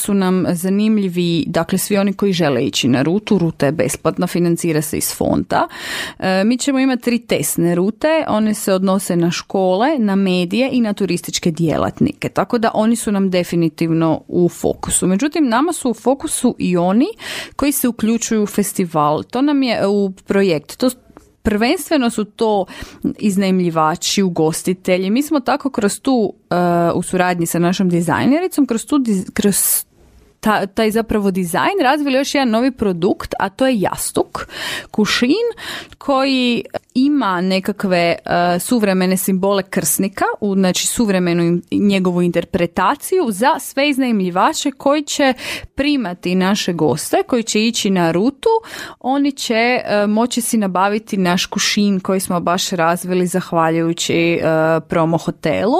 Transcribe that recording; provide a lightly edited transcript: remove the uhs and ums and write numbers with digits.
su nam zanimljivi, dakle svi oni koji žele ići na rutu, ruta je besplatna, financira se iz fonda. Mi ćemo imati 3 testne rute, one se odnose na škole, na medije i na turističke djelatnike, tako da oni su nam definitivno u fokusu. Međutim, nama su u fokusu i oni koji se uključuju u festival. To nam je u projekt. Prvenstveno su to iznajmljivači, ugostitelji. Mi smo tako kroz tu, u suradnji sa našom dizajnericom, kroz taj zapravo dizajn razvili još jedan novi produkt, a to je jastuk, kušin, koji ima nekakve suvremene simbole krsnika, znači suvremenu njegovu interpretaciju za sve iznajmljivače koji će primati naše goste, koji će ići na rutu. Oni će moći si nabaviti naš kušin koji smo baš razvili zahvaljujući promo hotelu.